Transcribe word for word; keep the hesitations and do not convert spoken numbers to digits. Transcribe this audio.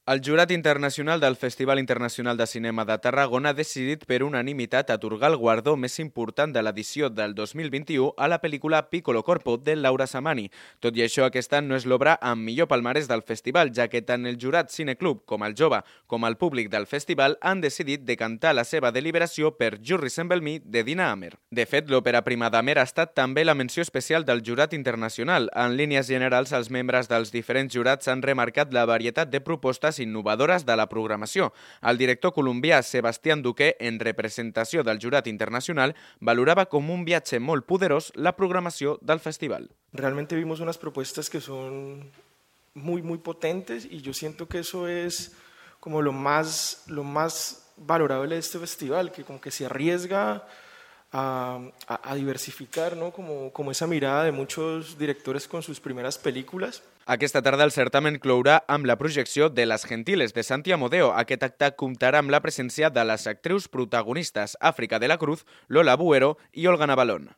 El jurat internacional del Festival Internacional de Cinema de Tarragona ha decidit per unanimitat atorgar el guardó més important de l'edició del dos mil vint-i-u a la pel·lícula Piccolo Corpo, de Laura Samani. Tot i això, aquesta no és l'obra amb millor palmarès del festival, ja que tant el jurat Cineclub com el jove com el públic del festival han decidit decantar la seva deliberació per You Resemble Me, de Dina Amer. De fet, l'òpera prima d'Amer ha estat també la menció especial del jurat internacional. En línies generals, els membres dels diferents jurats han remarcat la varietat de propostes innovadores de la programació. El director colombià Sebastián Duque, en representació del jurat internacional, valorava com un viatge molt poderós la programació del festival. Realmente vimos unas propuestas que son muy, muy potentes y yo siento que eso es como lo más, lo más valorable de este festival, que como que se arriesga A, a, a diversificar, ¿no? como, como esa mirada de muchos directores con sus primeras películas. Aquesta tarda el certamen clourà amb la projecció de Las Gentiles, de Santi Amodeo. Aquest acte comptarà amb la presència de les actrius protagonistes Àfrica de la Cruz, Lola Buero i Olga Navalón.